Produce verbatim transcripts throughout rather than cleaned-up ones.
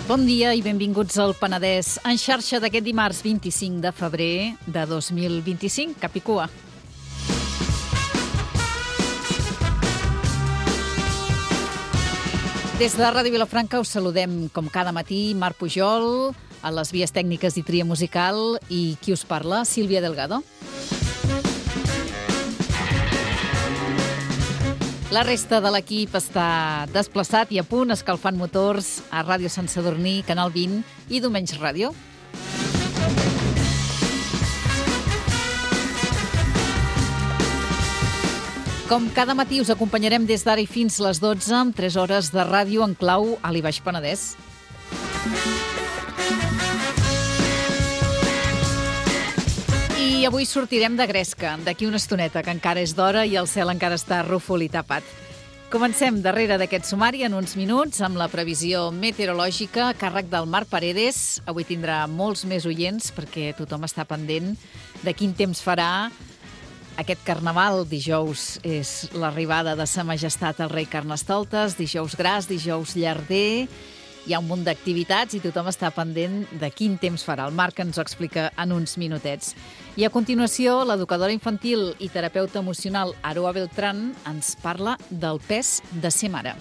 Bon dia i benvinguts al Penedès en xarxa d'aquest dimarts vint-i-cinc de febrer de dos mil vint-i-cinc. Cap i cua. Des de Ràdio Vilafranca us saludem com cada matí Marc Pujol, a les vies tècniques i tria musical, i qui us parla, Sílvia Delgado. La resta de l'equip està desplaçat i a punt, escalfant motors a Ràdio Sant Sadurní, Canal vint i Domenys Ràdio. Com cada matí us acompanyarem des d'ara i fins les dotze amb tres hores de ràdio en clau a l'I Baix Penedès. I avui sortirem de gresca, d'aquí una estoneta, que encara és d'hora i el cel encara està rúfol i tapat. Comencem darrere d'aquest sumari en uns minuts amb la previsió meteorològica a càrrec del Marc Paredes. Avui tindrà molts més oients perquè tothom està pendent de quin temps farà aquest carnaval. Dijous és l'arribada de Sa Majestat el rei Carnestoltes, dijous gras, dijous llarder. Hi ha un munt d'activitats i tothom està pendent de quin temps farà. El Marc ens ho explica en uns minutets. I a continuació, l'educadora infantil i terapeuta emocional Aroa Beltrán ens parla del pes de ser mare.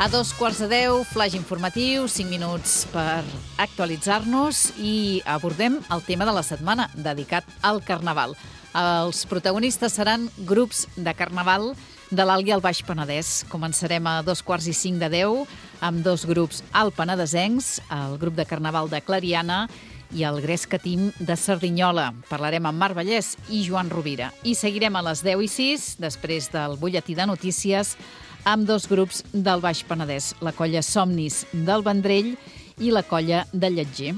A dos quarts de deu, flaix informatiu, cinc minuts per actualitzar-nos i abordem el tema de la setmana, dedicat al Carnaval. Els protagonistes seran grups de Carnaval de l'Alt i el Baix Penedès. Començarem a dos quarts i cinc de deu amb dos grups alpenedesencs, el grup de Carnaval de Clariana i el Gresca Team de Cerdanyola. Parlarem amb Marc Vallès i Joan Rovira. I seguirem a les deu i sis, després del butlletí de notícies, amb dos grups del Baix Penedès, la colla Somnis del Vendrell i la colla de Lletger.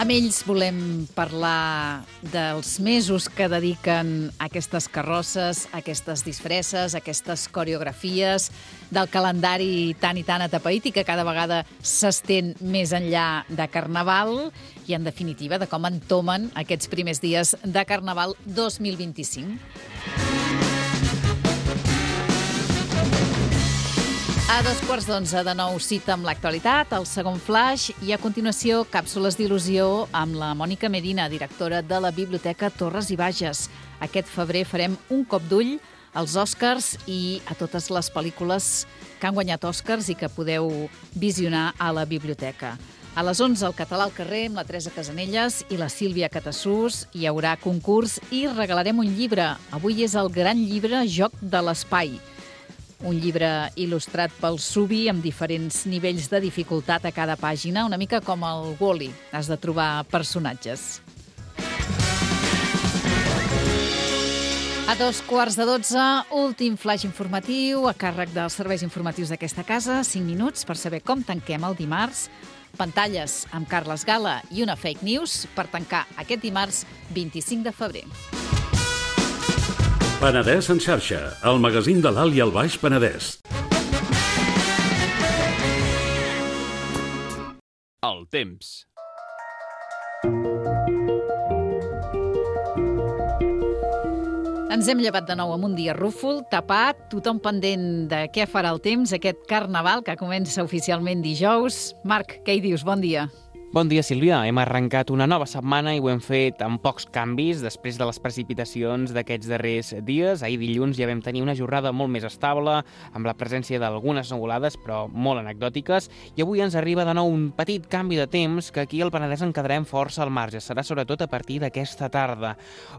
Amb ells volem parlar dels mesos que dediquen a aquestes carrosses, a aquestes disfresses, a aquestes coreografies, del calendari tan i tan atapeït i que cada vegada s'estén més enllà de Carnaval i, en definitiva, de com entomen aquests primers dies de Carnaval dos mil vint-i-cinc. A dos quarts d'onze de nou, cita amb l'actualitat, el segon flaix, i a continuació càpsules d'il·lusió amb la Mònica Medina, directora de la Biblioteca Torres i Bages. Aquest febrer farem un cop d'ull als Oscars i a totes les pel·lícules que han guanyat Oscars i que podeu visionar a la biblioteca. A les onze, el Català al carrer, amb la Teresa Casanelles i la Sílvia Catassús. Hi haurà concurs i regalarem un llibre. Avui és el gran llibre Joc de l'Espai. Un llibre il·lustrat pel Subi amb diferents nivells de dificultat a cada pàgina, una mica com el Wall-E. Has de trobar personatges. A dos quarts de dotze, últim flaix informatiu a càrrec dels serveis informatius d'aquesta casa. Cinc minuts per saber com tanquem el dimarts. Pantalles amb Carles Gala i una fake news per tancar aquest dimarts vint-i-cinc de febrer. Penedès en xarxa, el magazín de l'Alt i el Baix Penedès. El temps. Ens hem llevat de nou amb un dia rúfol, tapat, tothom pendent de què farà el temps, aquest Carnaval que comença oficialment dijous. Marc, què hi dius? Bon dia. Bon dia, Sílvia. Hem arrencat una nova setmana i ho hem fet amb pocs canvis després de les precipitacions d'aquests darrers dies. Ahir dilluns ja vam tenir una jornada molt més estable, amb la presència d'algunes nuvolades, però molt anecdòtiques, i avui ens arriba de nou un petit canvi de temps que aquí al Penedès en quedarem força al marge. Serà sobretot a partir d'aquesta tarda,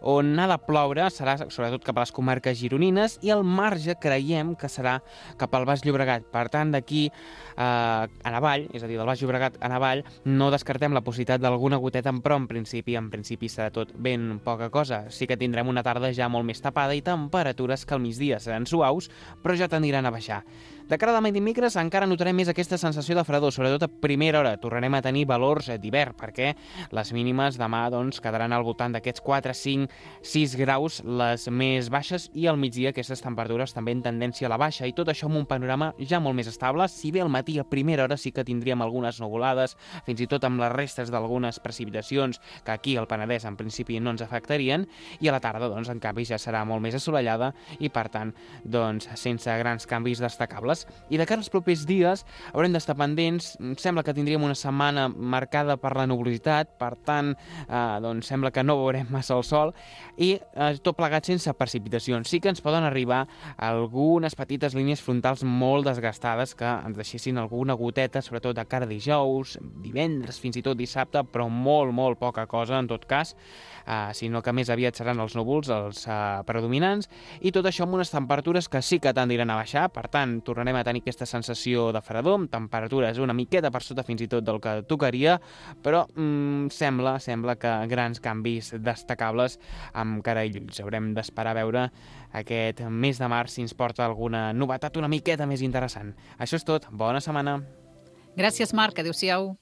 on ha de ploure serà sobretot cap a les comarques gironines i el marge creiem que serà cap al Baix Llobregat. Per tant, d'aquí eh, en avall, és a dir, del Baix Llobregat en avall, no descartem la possibilitat d'alguna goteta, però en principi, en principi serà tot ben poca cosa. Sí que tindrem una tarda ja molt més tapada i temperatures que al migdia seran suaus, però ja tendiran a baixar. De cara a demà i dimecres encara notarem més aquesta sensació de fredor, sobretot a primera hora. Tornarem a tenir valors d'hivern, perquè les mínimes demà doncs, quedaran al voltant d'aquests quatre, cinc, sis graus, les més baixes, i al migdia aquestes temperatures també en tendència a la baixa, i tot això amb un panorama ja molt més estable. Si bé al matí a primera hora sí que tindríem algunes nuvolades, fins i tot amb les restes d'algunes precipitacions que aquí al Penedès en principi no ens afectarien, i a la tarda, doncs, en canvi, ja serà molt més assolellada i, per tant, doncs, sense grans canvis destacables. I de cara als propers dies haurem d'estar pendents. Sembla que tindríem una setmana marcada per la nuvolositat, per tant, eh, doncs sembla que no veurem massa el sol, i eh, tot plegat sense precipitacions. Sí que ens poden arribar algunes petites línies frontals molt desgastades que ens deixessin alguna goteta, sobretot de cara a dijous, divendres, fins i tot dissabte, però molt, molt poca cosa en tot cas, eh, sinó que més aviat seran els núvols els eh, predominants, i tot això amb unes temperatures que sí que tendiran a baixar. Per tant, tornarem a tenir aquesta sensació de fredor, amb temperatures una miqueta per sota fins i tot del que tocaria, però mm, sembla, sembla que grans canvis destacables amb cara i ulls. Haurem d'esperar a veure aquest mes de març si ens porta alguna novetat una miqueta més interessant. Això és tot. Bona setmana. Gràcies, Marc. Adéu-siau.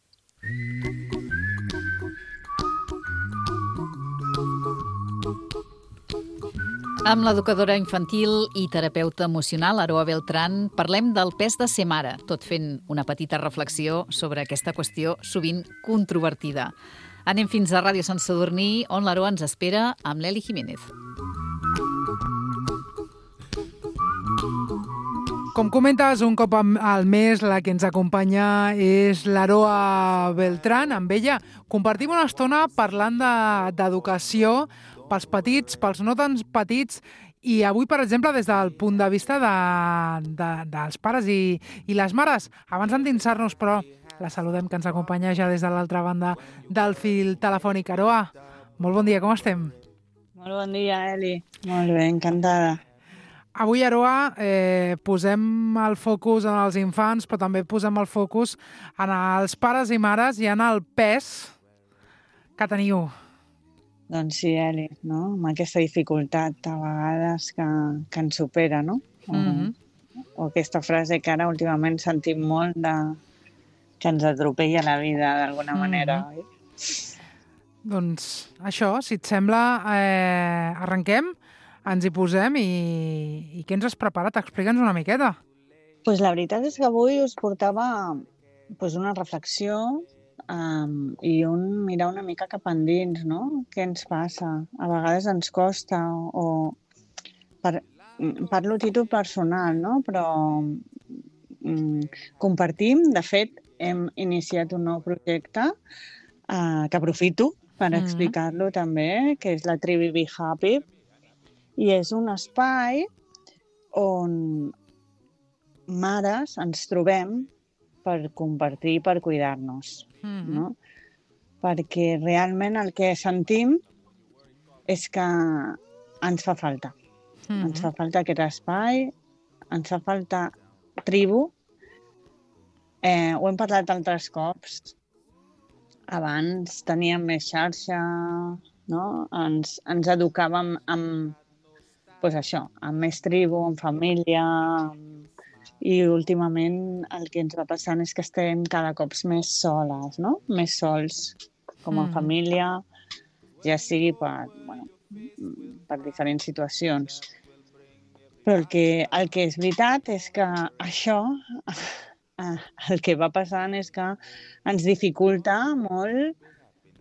Amb l'educadora infantil i terapeuta emocional Aroa Beltrán parlem del pes de ser mare, tot fent una petita reflexió sobre aquesta qüestió sovint controvertida. Anem fins a Ràdio Sant Sadurní, on l'Aroa ens espera amb l'Eli Jiménez. Com comentes, un cop al mes la que ens acompanya és l'Aroa Beltrán. Amb ella compartim una estona parlant de- d'educació pels petits, pels no tan petits, i avui, per exemple, des del punt de vista de, de, dels pares i, i les mares. Abans d'endinsar-nos, però, la saludem, que ens acompanya ja des de l'altra banda del fil telefònic. Aroa, molt bon dia, com estem? Molt bon dia, Eli. Molt bé, encantada. Avui, Aroa, eh, posem el focus en els infants, però també posem el focus en els pares i mares i en el pes que teniu. Doncs sí, Eli, no? Amb aquesta dificultat a vegades que, que ens supera, no? O, Mhm. o aquesta frase que ara últimament sentim molt de que ens atropella la vida d'alguna Mhm. manera, oi? Doncs això, si et sembla, eh, arrenquem, ens hi posem i, i què ens has preparat? Explica'ns una miqueta. Pues la veritat és que avui us portava pues, una reflexió um, i un mirar una mica cap endins, no? Què ens passa? A vegades ens costa, o per, parlo a títol personal, no? Però mm, compartim, de fet, hem iniciat un nou projecte uh, que aprofito per Mhm. explicar-lo també, que és la Trivi Be Happy, i és un espai on mares ens trobem per compartir i per cuidar-nos, Mhm. no? Perquè realment el que sentim és que ens fa falta. Mhm. Ens fa falta aquest espai, ens fa falta tribu. Eh, ho hem parlat altres cops. Abans teníem més xarxa, no? Ens, ens educàvem amb, pues això, amb més tribu, amb família, amb... i últimament el que ens va passant és que estem cada cop més soles, no? Més sols, com a Mhm. família, ja sigui per, bueno, per diferents situacions. Però el que, el que és veritat és que això, el que va passant és que ens dificulta molt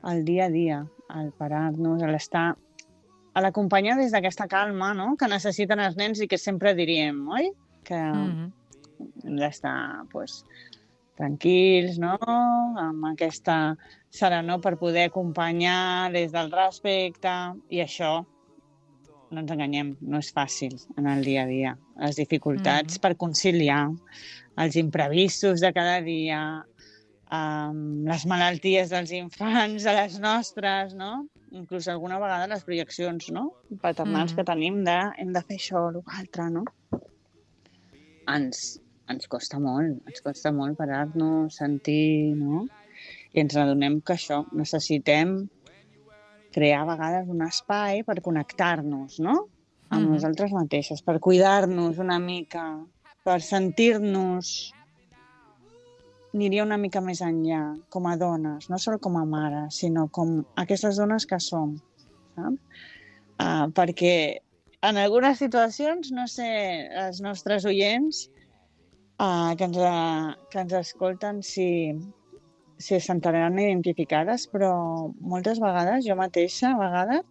el dia a dia, el parar-nos, l'estar, a l'acompanyar des d'aquesta calma, no?, que necessiten els nens i que sempre diríem, oi? Que Mhm. hem d'estar, pues, tranquils, no?, amb aquesta serenor per poder acompanyar des del respecte, i això, no ens enganyem, no és fàcil en el dia a dia. Les dificultats Mhm. per conciliar els imprevistos de cada dia, amb les malalties dels infants, de les nostres, no? Inclús alguna vegada les projeccions, no?, paternals Mhm. que tenim de hem de fer això o l'altre, no? Ens, ens costa molt, ens costa molt parar-nos, sentir, no? I ens adonem que això, necessitem crear a vegades un espai per connectar-nos, no? Amb Mhm. nosaltres mateixes, per cuidar-nos una mica, per sentir-nos... Aniria una mica més enllà, com a dones, no sol com a mares, sinó com aquestes dones que som, saps? Uh, perquè en algunes situacions, no sé, els nostres oients uh, que, ens, uh, que ens escolten si, si es sentiran identificades, però moltes vegades, jo mateixa, a vegades,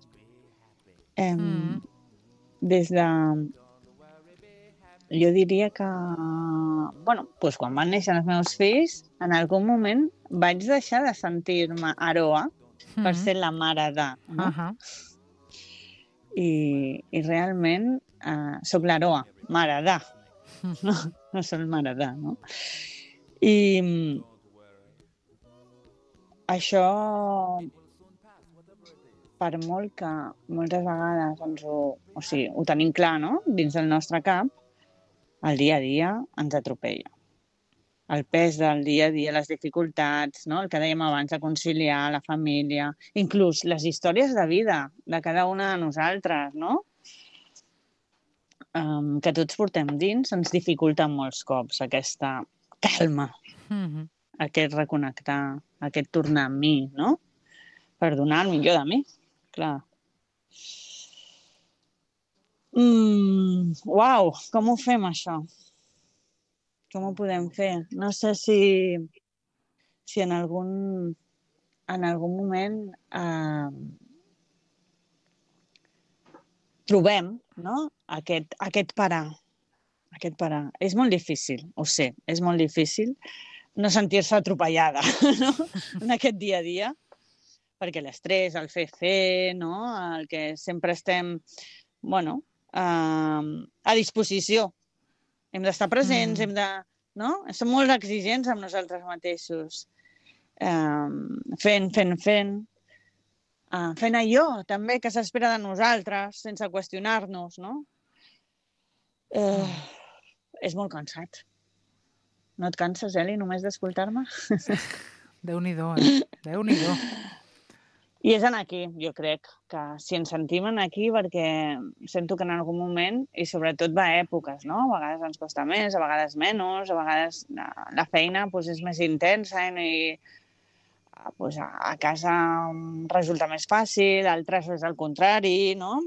eh, Mm. des de... Jo diria que, bueno, doncs quan van néixer els meus fills, en algun moment vaig deixar de sentir-me Aroa per Mhm. ser la mare de, no? Ahà. I, i realment eh, soc l'Aroa, mare de, no, no soc mare de, no? I mm, això, per molt que moltes vegades ens ho, o sigui, ho tenim clar, no?, dins del nostre cap, el dia a dia ens atropella. El pes del dia a dia, les dificultats, no?, el que dèiem abans, de conciliar la família, inclús les històries de vida de cada una de nosaltres, no?, um, que tots portem dins, ens dificulten molts cops aquesta calma, Mhm. aquest reconnectar, aquest tornar a mi, no?, per donar el millor de mi, clar. Mm, uau, com ho fem, això? Com ho podem fer? No sé si, si en algun, en algun moment eh, trobem, no?, aquest, aquest parar. Aquest parar. És molt difícil, ho sé, és molt difícil no sentir-se atropellada, no?, en aquest dia a dia, perquè l'estrès, el fer-fer, no?, el que sempre estem, bueno, eh, a disposició. Hem d'estar presents, Mm. hem de... No? Som molt exigents amb nosaltres mateixos. Um, fent, fent, fent. Uh, fent allò, també, que s'espera de nosaltres, sense qüestionar-nos, no? Uh, és molt cansat. No et canses, Eli, només d'escoltar-me? Déu-n'hi-do, eh? Déu-n'hi-do. I és en aquí, jo crec, que si ens sentim en aquí, perquè sento que en algun moment, i sobretot va a èpoques, no? A vegades ens costa més, a vegades menys, a vegades la feina doncs, és més intensa i doncs, a casa resulta més fàcil, altres és el contrari, no?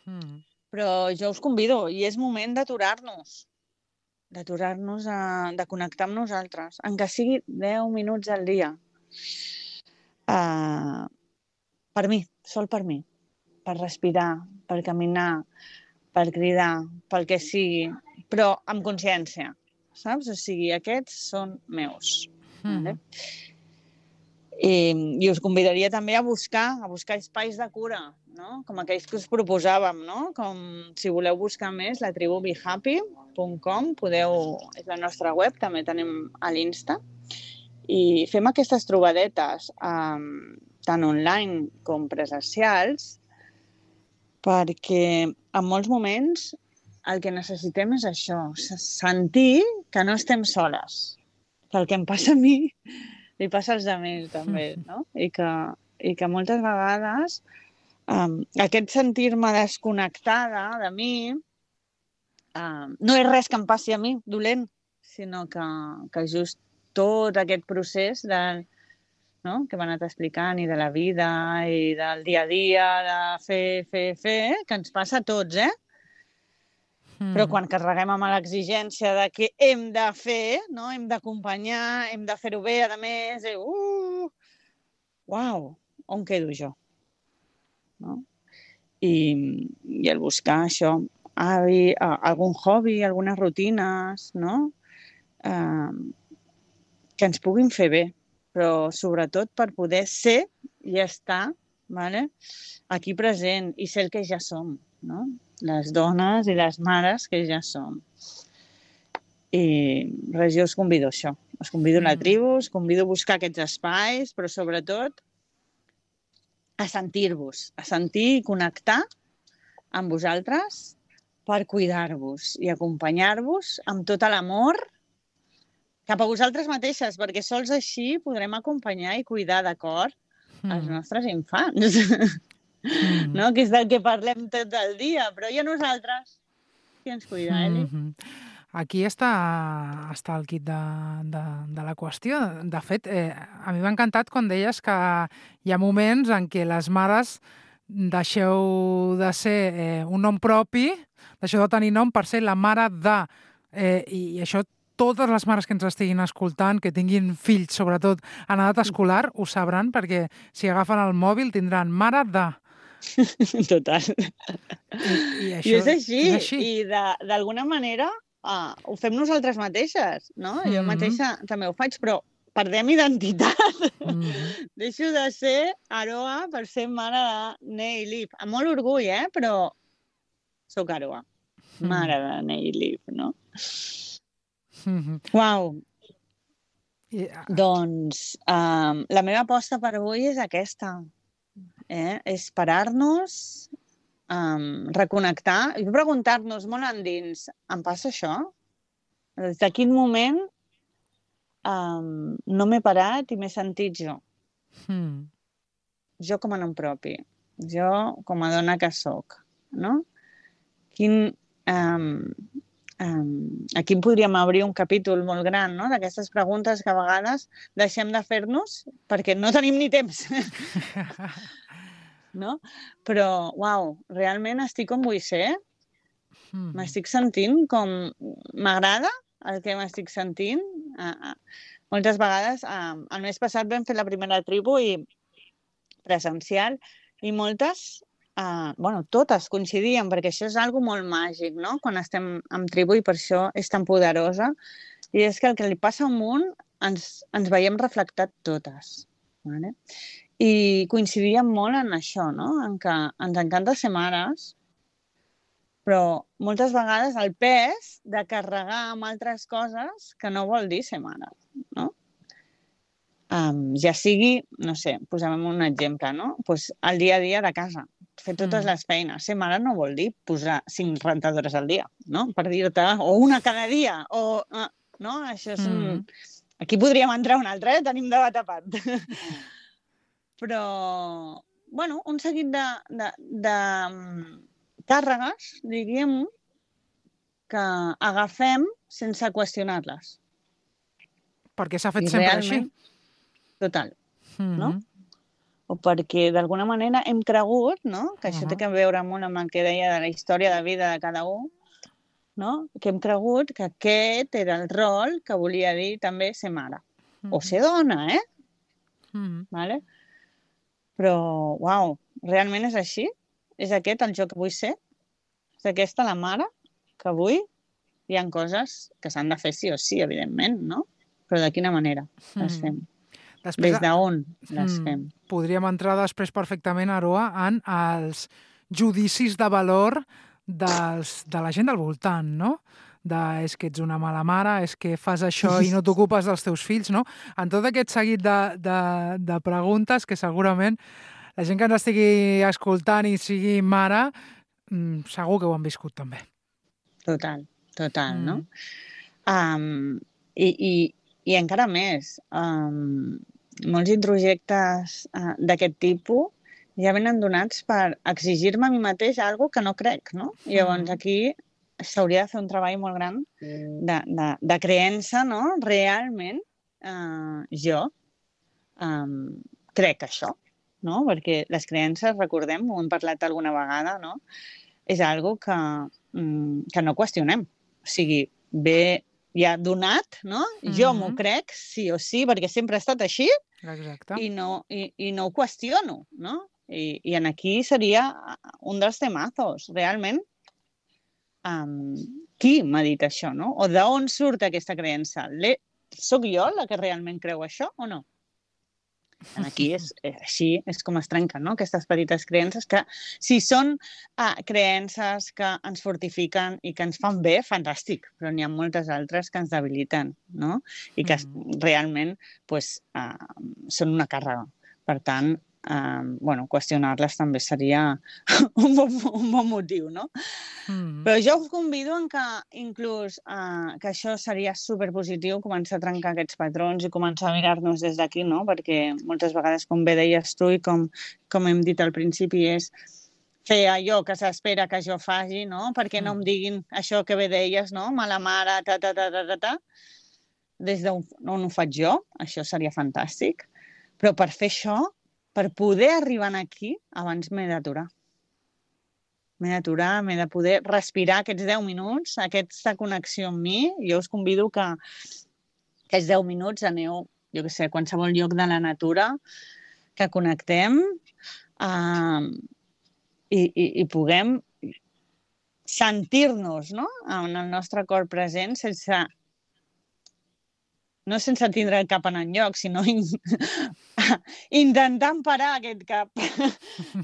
Mm. Però jo us convido, i és moment d'aturar-nos, d'aturar-nos, a, de connectar amb nosaltres, en que sigui deu minuts al dia. Uh, per mi, sol per mi, per respirar, per caminar, per cridar, pel que sigui, però amb consciència, saps? O sigui, aquests són meus. Mhm. Vale? I, I us convidaria també a buscar, a buscar espais de cura, no? Com aquells que us proposàvem, no? Com si voleu buscar més, la tribu be happy punt com, podeu, és la nostra web, també tenim a l'Insta, i fem aquestes trobadetes um, tant online com presencials, perquè en molts moments el que necessitem és això, sentir que no estem soles, que el que em passa a mi li passa als altres també, no? I que, i que moltes vegades um, aquest sentir-me desconnectada de mi um, no és res que em passi a mi dolent, sinó que, que just tot aquest procés de, no?, que m'ha anat explicant, i de la vida, i del dia a dia, de fer, fer, fer, que ens passa a tots, eh? Mm. Però quan carreguem amb l'exigència de que hem de fer, no?, hem d'acompanyar, hem de fer-ho bé, a més, i, uh, uau, on quedo jo? No? I, i el buscar això, hàbi, algun hobby, algunes rutines, no?, eh, que ens puguin fer bé, però sobretot per poder ser i estar, vale, aquí present i ser el que ja som, no? Les dones i les mares que ja som. I res, jo us convido a això. Us convido a la tribu, us convido a buscar aquests espais, però sobretot a sentir-vos, a sentir i connectar amb vosaltres per cuidar-vos i acompanyar-vos amb tot l'amor cap a vosaltres mateixes, perquè sols així podrem acompanyar i cuidar de cor mm. els nostres infants. Mm. No? Que és del que parlem tot el dia, però i a nosaltres? Qui ens cuida, Eli? Mm-hmm. Aquí està, està el kit de, de, de la qüestió. De fet, eh, a mi m'ha encantat quan deies que hi ha moments en què les mares deixeu de ser eh, un nom propi, deixeu de tenir nom per ser la mare de... Eh, i, I això totes les mares que ens estiguin escoltant, que tinguin fills, sobretot en edat escolar, ho sabran, perquè si agafen el mòbil tindran mare de... Total. I, i, això, I és així. és així. I d'alguna manera uh, ho fem nosaltres mateixes, no? Mm-hmm. Jo mateixa també ho faig, però perdem identitat. Mm-hmm. Deixo de ser Aroa per ser mare de Neilif. Amb molt orgull, eh? Però soc Aroa. Mare de Neilif, no? Mm-hmm. Uau! Yeah. Doncs um, la meva aposta per avui és aquesta. Eh? És parar-nos, um, reconnectar i preguntar-nos molt endins, em passa això? Des de quin moment um, no m'he parat i m'he sentit jo? Hmm. Jo com a nom propi, jo com a dona que soc, no? Quin, um, um, aquí podríem obrir un capítol molt gran, no? D'aquestes preguntes que a vegades deixem de fer-nos perquè no tenim ni temps. No? Però, uau, realment estic com vull ser. M'estic sentint com... M'agrada el que m'estic sentint. Uh, uh, moltes vegades, uh, el mes passat vam fer la primera tribu i presencial i moltes, uh, bueno, totes coincidien, perquè això és algo molt màgic, no? Quan estem en tribu i per això és tan poderosa. I és que el que li passa al món ens, ens veiem reflectat totes. Vale? I coincidíem molt en això, no? En que ens encanta ser mares, però moltes vegades el pes de carregar amb altres coses que no vol dir ser mare, no? Um, ja sigui, no sé, posem un exemple, no? Pues el dia a dia de casa, fer totes mm. les feines. Ser mare no vol dir posar cinc rentadores al dia, no? Per dir-te, o una cada dia, o... Uh, no? Això és un... Mm. Aquí podríem entrar un altre, eh? Tenim debat a part. Però, bueno, un seguit de, de, de càrregues, diríem, que agafem sense qüestionar-les. Perquè s'ha fet I sempre realment, així. Total, mm-hmm. no? O perquè d'alguna manera hem cregut, no? Que això uh-huh. té que veure molt amb el que deia de la història de vida de cada un, no? Que hem cregut que aquest era el rol que volia dir també ser mare. Mm-hmm. O ser dona, eh? Mm-hmm. Vale? Però, uau, realment és així? És aquest el jo que vull ser? És aquesta la mare que vull? Hi ha coses que s'han de fer sí o sí, evidentment, no? Però de quina manera les fem? Després, Des d'on les fem? Podríem entrar després perfectament, Aroa, en els judicis de valor dels, de la gent del voltant, no? De, és que ets una mala mare, és que fas això i no t'ocupes dels teus fills, no? En tot aquest seguit de, de, de preguntes que segurament la gent que ens estigui escoltant i sigui mare, segur que ho han viscut també. Total, total, mm. no? Um, i, i, I encara més, um, molts introjectes uh, d'aquest tipus ja venen donats per exigir-me a mi mateix alguna que no crec, no? Mm. Llavors aquí s'hauria de fer un treball molt gran de, de, de creença, no? Realment, eh, jo eh, crec això, no? Perquè les creences, recordem, ho hem parlat alguna vegada, no? És algo que, mm, que no qüestionem. O sigui, ve ja donat, no? Mm-hmm. Jo m'ho crec, sí o sí, perquè sempre ha estat així. Exacte. I no, i, i no ho qüestiono, no? I, i en aquí seria un dels temazos, realment. Um, qui m'ha dit això, no? O d'on surt aquesta creença? Le... Soc jo la que realment creu això o no? Aquí és, és així, és com es trenquen, no? Aquestes petites creences que, si són uh, creences que ens fortifiquen i que ens fan bé, fantàstic, però n'hi ha moltes altres que ens debiliten, no? I que mm. realment pues, uh, són una càrrega. Per tant, eh, bueno, qüestionar-les també seria un bon, un bon motiu, no? Mm. Però jo us convido en que inclús eh, que això seria superpositiu, començar a trencar aquests patrons i començar a mirar-nos des d'aquí, no? Perquè moltes vegades, com bé deies tu i com, com hem dit al principi, és fer allò que s'espera que jo faci, no? Perquè no em diguin això que bé deies, no? Mala mare, ta, ta, ta, ta, ta, ta. Des d'on ho faig jo, això seria fantàstic. Però per fer això, per poder arribar aquí, abans m'he d'aturar. M'he d'aturar, m'he de poder respirar aquests deu minuts, aquesta connexió amb mi. Jo us convido que aquests deu minuts aneu, jo què sé, a qualsevol lloc de la natura, que connectem eh, i, i, i puguem sentir-nos, no?, en el nostre cor present sense... no sense tindre el cap en enlloc, sinó in... intentant parar aquest cap,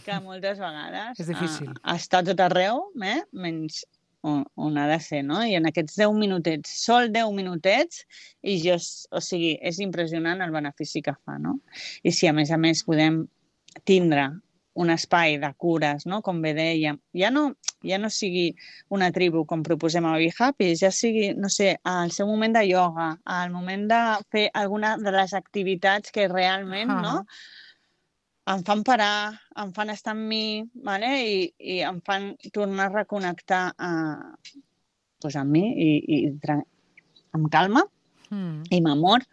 que moltes vegades és difícil. Uh, està tot arreu, eh? Menys on, on ha de ser, no? I en aquests deu minutets, sol deu minutets, i jo, o sigui, és impressionant el benefici que fa, no? I si a més a més podem tindre un espai de cures, no? Com bé dèiem, ja no, ja no sigui una tribu com proposem a Be Happy, ja sigui, no sé, al seu moment de ioga, al moment de fer alguna de les activitats que realment, uh-huh. no? Em fan parar, em fan estar amb mi, vale? I, i em fan tornar a reconnectar a, pues, amb mi i, i amb calma mm. i amb amor.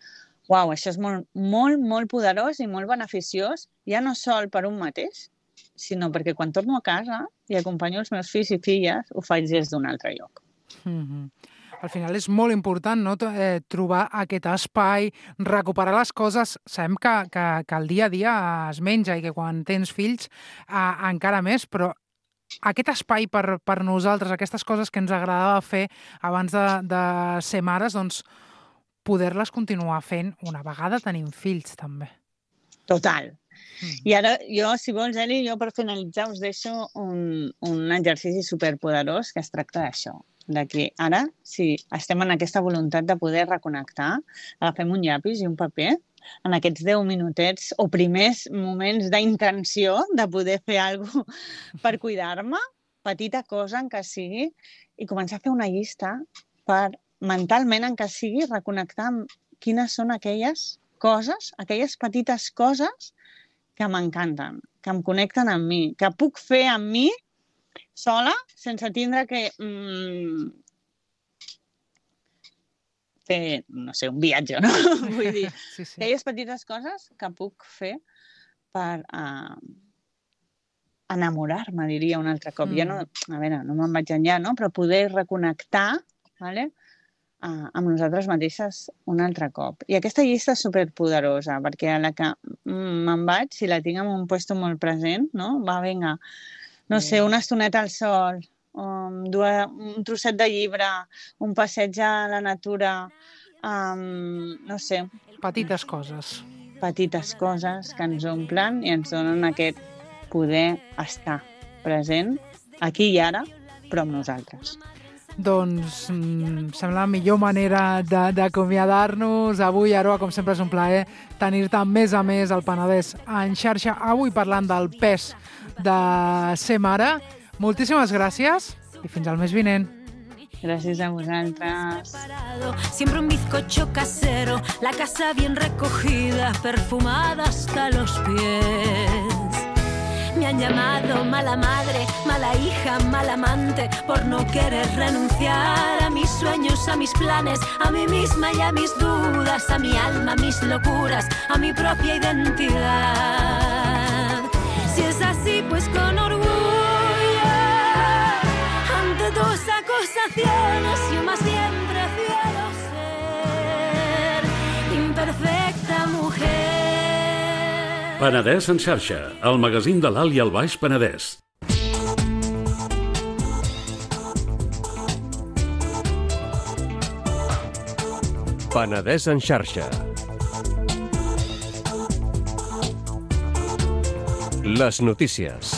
Uau, això és molt, molt, molt poderós i molt beneficiós, ja no sol per un mateix, sinó perquè quan torno a casa i acompanyo els meus fills i filles, ho faig des d'un altre lloc. Mm-hmm. Al final és molt important, no?, eh, trobar aquest espai, recuperar les coses. Sabem que, que, que el dia a dia es menja i que quan tens fills eh, encara més, però aquest espai per, per nosaltres, aquestes coses que ens agradava fer abans de, de ser mares, doncs poder-les continuar fent una vegada tenim fills, també. Total. Mm. I ara, jo, si vols, Eli, jo per finalitzar us deixo un, un exercici superpoderós que es tracta d'això. De que ara, si estem en aquesta voluntat de poder reconnectar, agafem un llapis i un paper en aquests deu minutets o primers moments d'intenció de poder fer alguna cosa per cuidar-me, petita cosa en què sigui, i començar a fer una llista per mentalment en què sigui reconnectar amb quines són aquelles coses, aquelles petites coses que m'encanten, que em connecten amb mi, que puc fer amb mi sola sense tindre que mm, fer, no sé, un viatge, no? Vull dir, sí, sí. Aquelles petites coses que puc fer per uh, enamorar-me, diria un altre cop. Mm. Ja no, a veure, no me'n vaig enllà, no? Però poder reconnectar, vale? Uh, amb nosaltres mateixes un altre cop. I aquesta llista és superpoderosa, perquè a la que mm, me'n vaig, si la tinc en un lloc molt present, no? Va, vinga, no sé, una estoneta al sol, um, dues, un trosset de llibre, un passeig a la natura, um, no sé. Petites coses. Petites coses que ens omplen i ens donen aquest poder estar present aquí i ara, però amb nosaltres. Doncs mm, sembla la millor manera d'acomiadar-nos. Avui, Aroa, com sempre és un plaer tenir-te més a més al Penedès en xarxa. Avui parlant del pes de ser mare. Moltíssimes gràcies i fins al mes vinent. Gràcies a vosaltres. Siempre un bizcocho casero, la casa bien recogida, perfumada hasta los pies. Me han llamado mala madre, mala hija, mala amante, por no querer renunciar a mis sueños, a mis planes, a mí misma y a mis dudas, a mi alma, a mis locuras, a mi propia identidad. Si es así, pues con orgullo, ante tus acusaciones, yo más bien prefiero ser imperfecta mujer. Penedès en xarxa, el magazín de l'Alt i el Baix Penedès. Penedès en xarxa. Les notícies.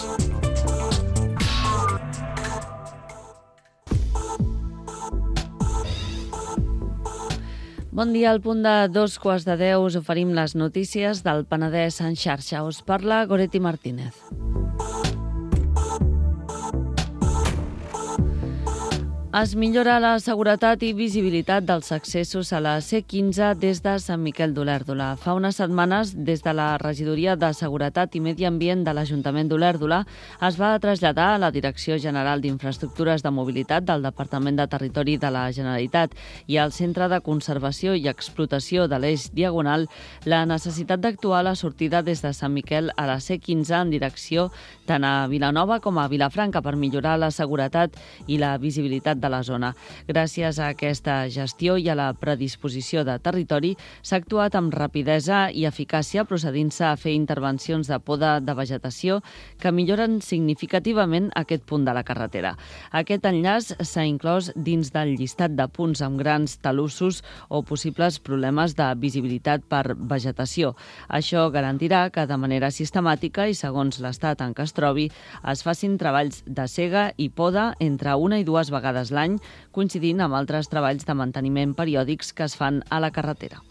Bon dia, al punt de dos quarts de deu us oferim les notícies del Penedès en xarxa. Us parla Goretti Martínez. Es millora la seguretat i visibilitat dels accessos a la C quinze des de Sant Miquel d'Olèrdola. Fa unes setmanes, des de la Regidoria de Seguretat i Medi Ambient de l'Ajuntament d'Olèrdola, es va traslladar a la Direcció General d'Infraestructures de Mobilitat del Departament de Territori de la Generalitat i al Centre de Conservació i Explotació de l'Eix Diagonal la necessitat d'actuar a la sortida des de Sant Miquel a la C quinze en direcció tant a Vilanova com a Vilafranca per millorar la seguretat i la visibilitat de la zona. Gràcies a aquesta gestió i a la predisposició de territori s'ha actuat amb rapidesa i eficàcia procedint-se a fer intervencions de poda de vegetació que milloren significativament aquest punt de la carretera. Aquest enllaç s'ha inclòs dins del llistat de punts amb grans talussos o possibles problemes de visibilitat per vegetació. Això garantirà que de manera sistemàtica i segons l'estat en què es trobi es facin treballs de sega i poda entre una i dues vegades l'any, coincidint amb altres treballs de manteniment periòdics que es fan a la carretera.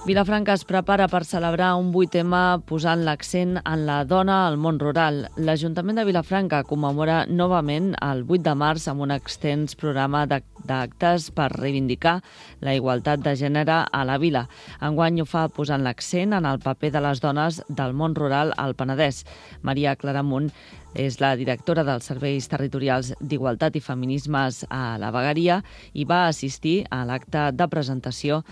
Vilafranca es prepara per celebrar un vuitè eme posant l'accent en la dona al món rural. L'Ajuntament de Vilafranca commemora novament el vuit de març amb un extens programa d'actes per reivindicar la igualtat de gènere a la vila. Enguany ho fa posant l'accent en el paper de les dones del món rural al Penedès. Maria Claramunt és la directora dels Serveis Territorials d'Igualtat i Feminismes a la Vegueria i va assistir a l'acte de presentació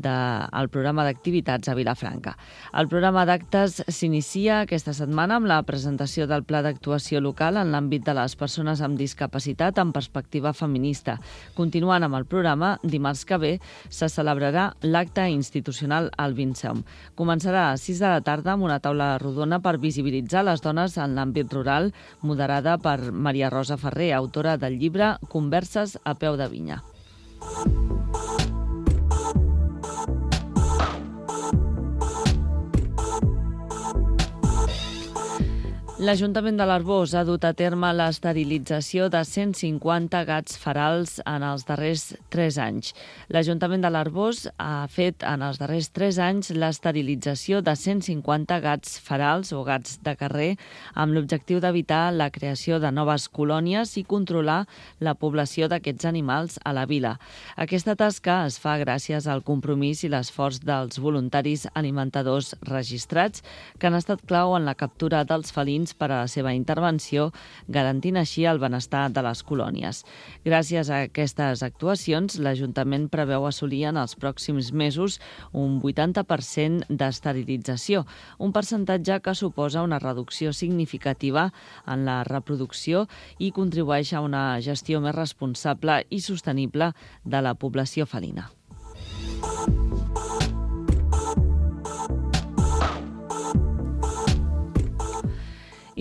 del programa d'activitats a Vilafranca. El programa d'actes s'inicia aquesta setmana amb la presentació del Pla d'actuació local en l'àmbit de les persones amb discapacitat en perspectiva feminista. Continuant amb el programa, dimarts que ve se celebrarà l'acte institucional al Vinceom. Començarà a sis de la tarda amb una taula rodona per visibilitzar les dones en l'àmbit rural, moderada per Maria Rosa Ferrer, autora del llibre Converses a peu de vinya. L'Ajuntament de l'Arboç ha dut a terme l'esterilització de cent cinquanta gats ferals en els darrers tres anys. L'Ajuntament de l'Arboç ha fet en els darrers tres anys l'esterilització de cent cinquanta gats ferals o gats de carrer amb l'objectiu d'evitar la creació de noves colònies i controlar la població d'aquests animals a la vila. Aquesta tasca es fa gràcies al compromís i l'esforç dels voluntaris alimentadors registrats que han estat clau en la captura dels felins per a la seva intervenció, garantint així el benestar de les colònies. Gràcies a aquestes actuacions, l'Ajuntament preveu assolir en els pròxims mesos un vuitanta per cent d'esterilització, un percentatge que suposa una reducció significativa en la reproducció i contribueix a una gestió més responsable i sostenible de la població felina.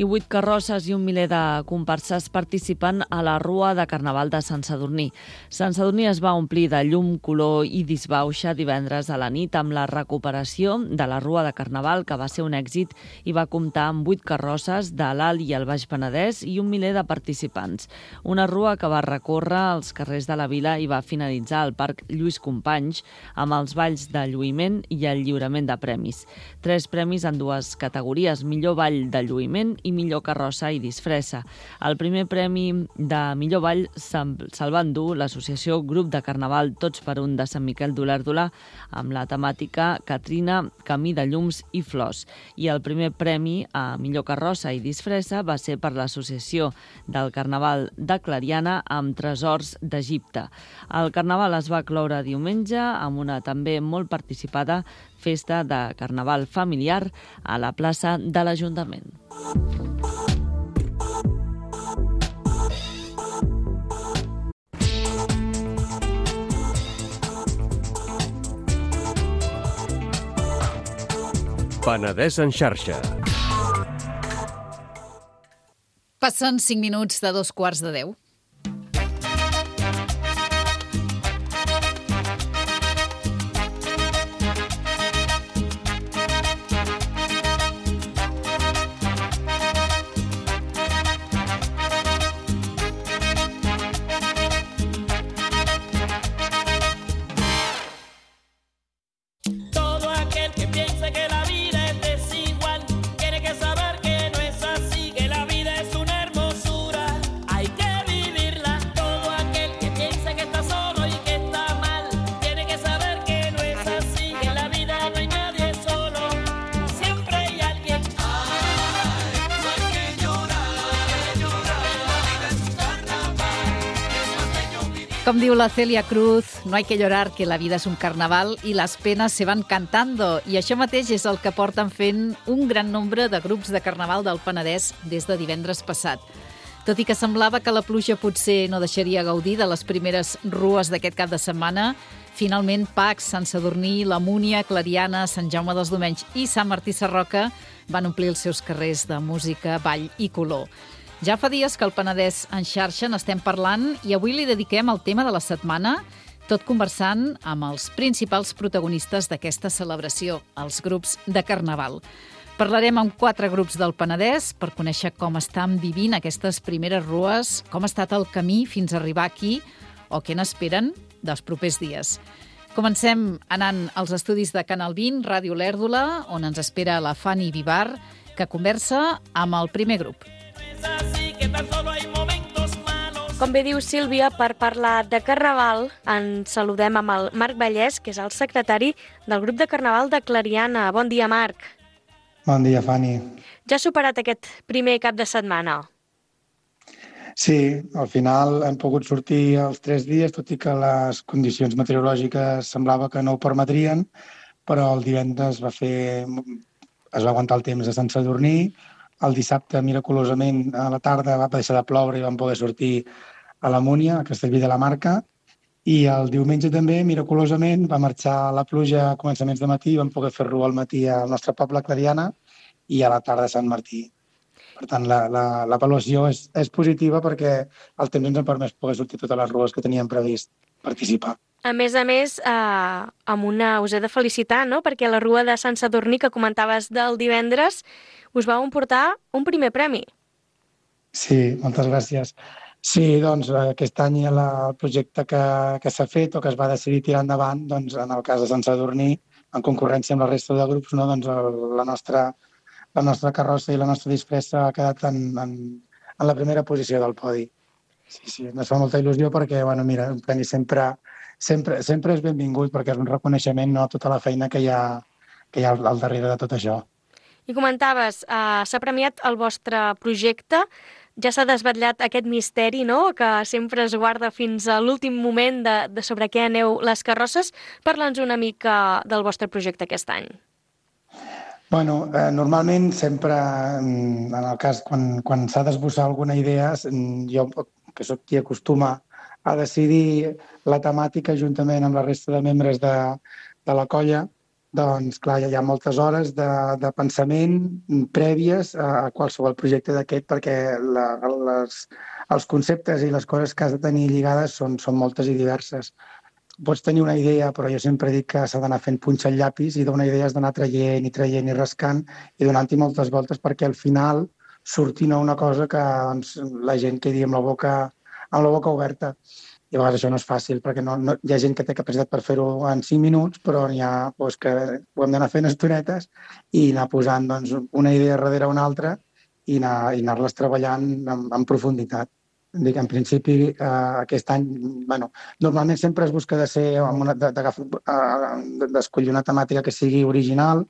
I vuit carrosses i un miler de comparses participen a la Rua de Carnaval de Sant Sadurní. Sant Sadurní es va omplir de llum, color i disbauxa divendres a la nit amb la recuperació de la Rua de Carnaval, que va ser un èxit i va comptar amb vuit carrosses de l'Alt i el Baix Penedès i un miler de participants. Una rua que va recórrer els carrers de la vila i va finalitzar al Parc Lluís Companys amb els balls de lluïment i el lliurament de premis. Tres premis en dues categories, millor ball de lluïment i millor carrossa i disfressa. El primer premi de millor ball se'l va endur l'associació Grup de Carnaval Tots per un de Sant Miquel d'Olèrdola amb la temàtica Catrina, Camí de llums i flors. I el primer premi a millor carrossa i disfressa va ser per l'associació del Carnaval de Clariana amb Tresors d'Egipte. El Carnaval es va cloure diumenge amb una també molt participada festa de Carnaval familiar a la plaça de l'Ajuntament. Penedès en xarxa. Passen cinc minuts de dos quarts de deu. Com diu la Celia Cruz, no hay que llorar, que la vida es un carnaval y las penas se van cantando. I això mateix és el que porten fent un gran nombre de grups de carnaval del Penedès des de divendres passat. Tot i que semblava que la pluja potser no deixaria gaudir de les primeres rues d'aquest cap de setmana, finalment Pacs, Sant Sadurní, la Múnia, Clariana, Sant Jaume dels Domenys i Sant Martí Sarroca van omplir els seus carrers de música, ball i color. Ja fa dies que el Penedès en xarxa n'estem parlant i avui li dediquem el tema de la setmana, tot conversant amb els principals protagonistes d'aquesta celebració, els grups de Carnaval. Parlarem amb quatre grups del Penedès per conèixer com estan vivint aquestes primeres rues, com ha estat el camí fins a arribar aquí o què n'esperen dels propers dies. Comencem anant als estudis de Canal vint, Ràdio Lèrdula, on ens espera la Fanny Vivar, que conversa amb el primer grup. Com bé diu Sílvia, per parlar de Carnaval, ens saludem amb el Marc Vallès, que és el secretari del grup de Carnaval de Clariana. Bon dia, Marc. Bon dia, Fanny. Ja ha superat aquest primer cap de setmana? Sí, al final hem pogut sortir els tres dies, tot i que les condicions meteorològiques semblava que no ho permetrien, però el divendres va fer, es va aguantar el temps a Sant Sadurní. El dissabte, miraculosament, a la tarda va deixar de ploure i vam poder sortir a la Múnia, a Castellví de la Marca, i el diumenge també, miraculosament, va marxar la pluja a començaments de matí i vam poder fer rua al matí al nostre poble, Clariana, i a la tarda a Sant Martí. Per tant, l'avaluació és, és positiva perquè el temps ens ha permès poder sortir totes les rues que teníem previst participar. A més a més, eh, amb una, us he de felicitar, no?, perquè la rua de Sant Sadurní que comentaves del divendres us vau emportar un primer premi. Sí, moltes gràcies. Sí, doncs aquest any el projecte que, que s'ha fet o que es va decidir tirar endavant, doncs en el cas de Sant Sadurní, en concurrència amb la resta de grups, no, doncs el, la, nostra, la nostra carrossa i la nostra disfressa ha quedat en, en, en la primera posició del podi. Sí, sí, ens fa molta il·lusió perquè, bueno, mira, un premi sempre, sempre, sempre és benvingut perquè és un reconeixement, no, a tota la feina que hi ha, que hi ha al darrere de tot això. I comentaves, eh, s'ha premiat el vostre projecte, ja s'ha desvetllat aquest misteri, no?, que sempre es guarda fins a l'últim moment de, de sobre què aneu les carrosses. Parla'ns una mica del vostre projecte aquest any. Bueno, eh, normalment sempre, en el cas, quan, quan s'ha d'esbossar alguna idea, jo, que sóc qui acostuma a decidir la temàtica juntament amb la resta de membres de, de la colla, doncs, clar, hi ha moltes hores de, de pensament prèvies a qualsevol projecte d'aquest perquè la, les, els conceptes i les coses que has de tenir lligades són, són moltes i diverses. Pots tenir una idea, però jo sempre dic que s'ha d'anar fent punxa al llapis i d'una idea has d'anar traient i traient i rascant i donant-hi moltes voltes perquè al final surti una cosa que doncs, la gent quedi amb la boca, amb la boca oberta. I a vegades això no és fàcil, perquè no, no, hi ha gent que té capacitat per fer-ho en cinc minuts, però n'hi ha doncs, que ho hem d'anar fent estonetes i anar posant doncs, una idea darrere una altra i anar, i anar-les treballant en, en profunditat. Dic, en principi, eh, aquest any, bueno, normalment sempre es busca de ser una, de, de, d'escollir una temàtica que sigui original,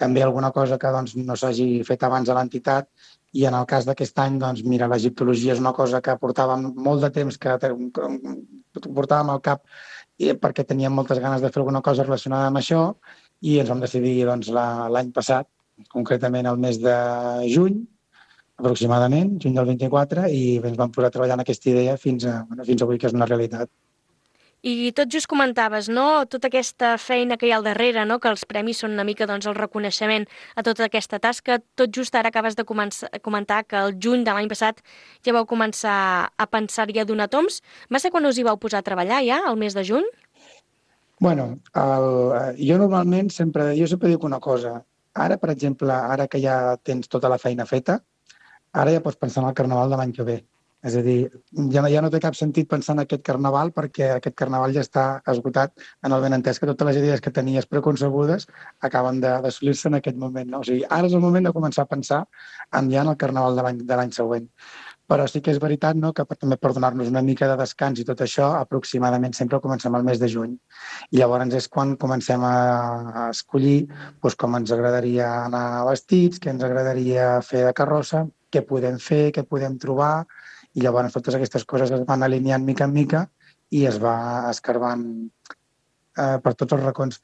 també alguna cosa que doncs, no s'hagi fet abans a l'entitat, i en el cas d'aquest any, doncs, mira, l'egiptologia és una cosa que portàvem molt de temps, que, que portàvem al cap perquè teníem moltes ganes de fer alguna cosa relacionada amb això i ens vam decidir doncs, l'any passat, concretament el mes de juny, aproximadament, juny del vint-i-quatre, i ens vam posar a treballar en aquesta idea fins, a, bueno, fins avui, que és una realitat. I tot just comentaves, no?, tota aquesta feina que hi ha al darrere, no?, que els premis són una mica doncs, el reconeixement a tota aquesta tasca. Tot just ara acabes de començar, comentar que el juny de l'any passat ja vau començar a pensar-hi a donar toms. Va ser quan us hi vau posar a treballar ja, el mes de juny? Bueno, el, jo normalment sempre, jo sempre dic una cosa. Ara, per exemple, ara que ja tens tota la feina feta, ara ja pots pensar en el carnaval de l'any que ve. És a dir, ja no, ja no té cap sentit pensar en aquest carnaval perquè aquest carnaval ja està esgotat en el benentès que totes les idees que tenies preconcebudes acaben d'assolir-se en aquest moment. No? O sigui, ara és el moment de començar a pensar en ja en el carnaval de l'any de l'any següent. Però sí que és veritat, no?, que també per donar-nos una mica de descans i tot això, aproximadament sempre comencem al mes de juny. I llavors és quan comencem a, a escollir doncs, com ens agradaria anar vestits, què ens agradaria fer de carrossa, què podem fer, què podem trobar. I llavors totes aquestes coses es van alineant mica en mica i es va escarbant eh, per tots els racons.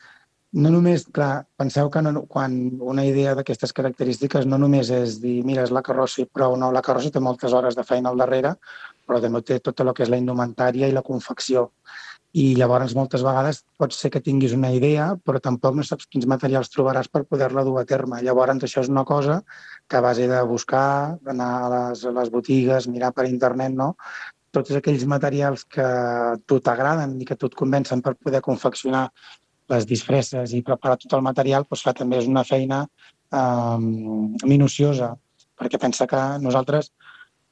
No només, clar, penseu que no, quan una idea d'aquestes característiques no només és dir, mira, és la carrossa i prou, no, la carrossa té moltes hores de feina al darrere, però també té tot el que és la indumentària i la confecció. I llavors moltes vegades pot ser que tinguis una idea, però tampoc no saps quins materials trobaràs per poder-la dur a terme. Llavors això és una cosa que a base de buscar, anar a les, a les botigues, mirar per internet, no? Tots aquells materials que a tu t'agraden i que a tu et convencen per poder confeccionar les disfresses i preparar tot el material, doncs clar, també és una feina eh, minuciosa, perquè pensa que nosaltres